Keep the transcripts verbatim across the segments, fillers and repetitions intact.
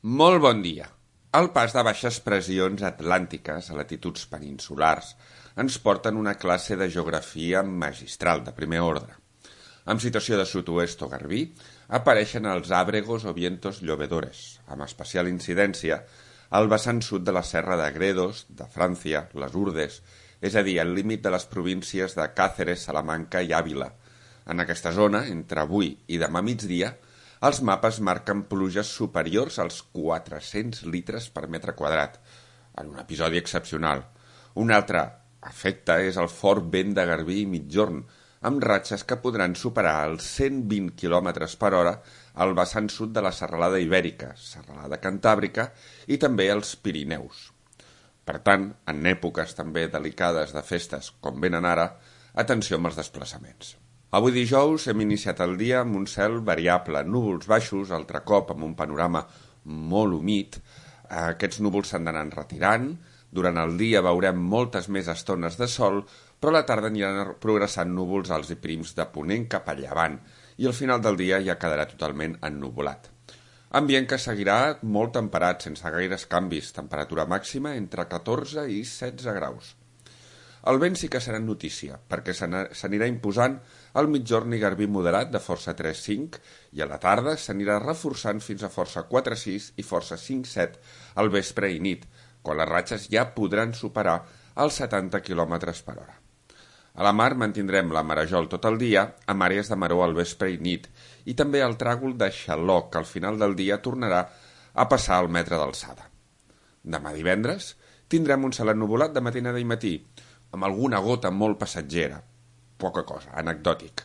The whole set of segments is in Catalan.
Molt bon dia. El pas de baixes pressions atlàntiques a latituds peninsulars ens porten una classe de geografia magistral de primer ordre. En situació de sud-oest o garbí apareixen els àbregos o vientos llovedores, amb especial incidència al vessant sud de la serra de Gredos, de França, les Urdes, és a dir, el límit de les províncies de Càceres, Salamanca i Àvila. En aquesta zona, entre avui i demà migdia, els mapes marquen pluges superiors als quatre-cents litres per metre quadrat, en un episodi excepcional. Un altre efecte és el fort vent de garbí i migjorn, amb ratxes que podran superar els cent vint quilòmetres per hora al vessant sud de la serralada Ibèrica, serralada Cantàbrica i també els Pirineus. Per tant, en èpoques també delicades de festes com venen ara, atenció amb els desplaçaments. Avui dijous hem iniciat el dia amb un cel variable, núvols baixos, altre cop amb un panorama molt humit. Aquests núvols s'han d'anar retirant, durant el dia veurem moltes més estones de sol, però a la tarda aniran progressant núvols alts i prims de ponent cap a llevant i al final del dia ja quedarà totalment ennuvolat. Ambient que seguirà molt temperat, sense gaires canvis, temperatura màxima entre catorze i setze graus. El vent sí que serà notícia, perquè s'anirà imposant al migjorn i garbí moderat de força tres cinc i a la tarda s'anirà reforçant fins a força quatre sis i força cinc set al vespre i nit, quan les ratxes ja podran superar els setanta quilòmetres per hora. A la mar mantindrem la marejol tot el dia, amb àrees de maror al vespre i nit, i també el tràgol de xaloc, que al final del dia tornarà a passar al metre d'alçada. Demà divendres tindrem un cel ennuvolat de matinada i matí, amb alguna gota molt passatgera, poca cosa, anecdòtic.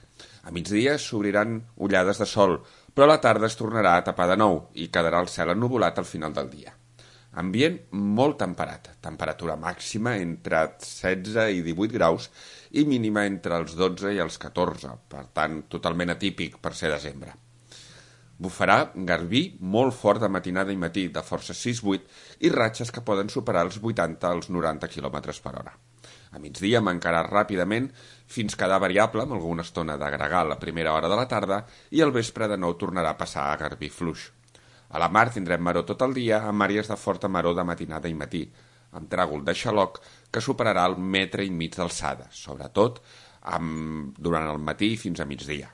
A migdia s'obriran ullades de sol, però a la tarda es tornarà a tapar de nou i quedarà el cel ennuvolat al final del dia. Ambient molt temperat, temperatura màxima entre setze i divuit graus i mínima entre els dotze i els catorze, per tant, totalment atípic per ser desembre. Bufarà garbí molt fort de matinada i matí, de força sis vuit, i ratxes que poden superar els vuitanta als noranta quilòmetres per hora. A migdia mancarà ràpidament fins quedar variable amb alguna estona d'agregar a la primera hora de la tarda i al vespre de nou tornarà a passar a garbí fluix. A la mar tindrem maror tot el dia amb àrees de forta maror de matinada i matí, amb tràgol de xaloc que superarà el metre i mig d'alçada, sobretot amb... durant el matí fins a migdia.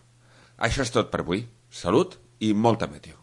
Això és tot per avui. Salut i molta meteo.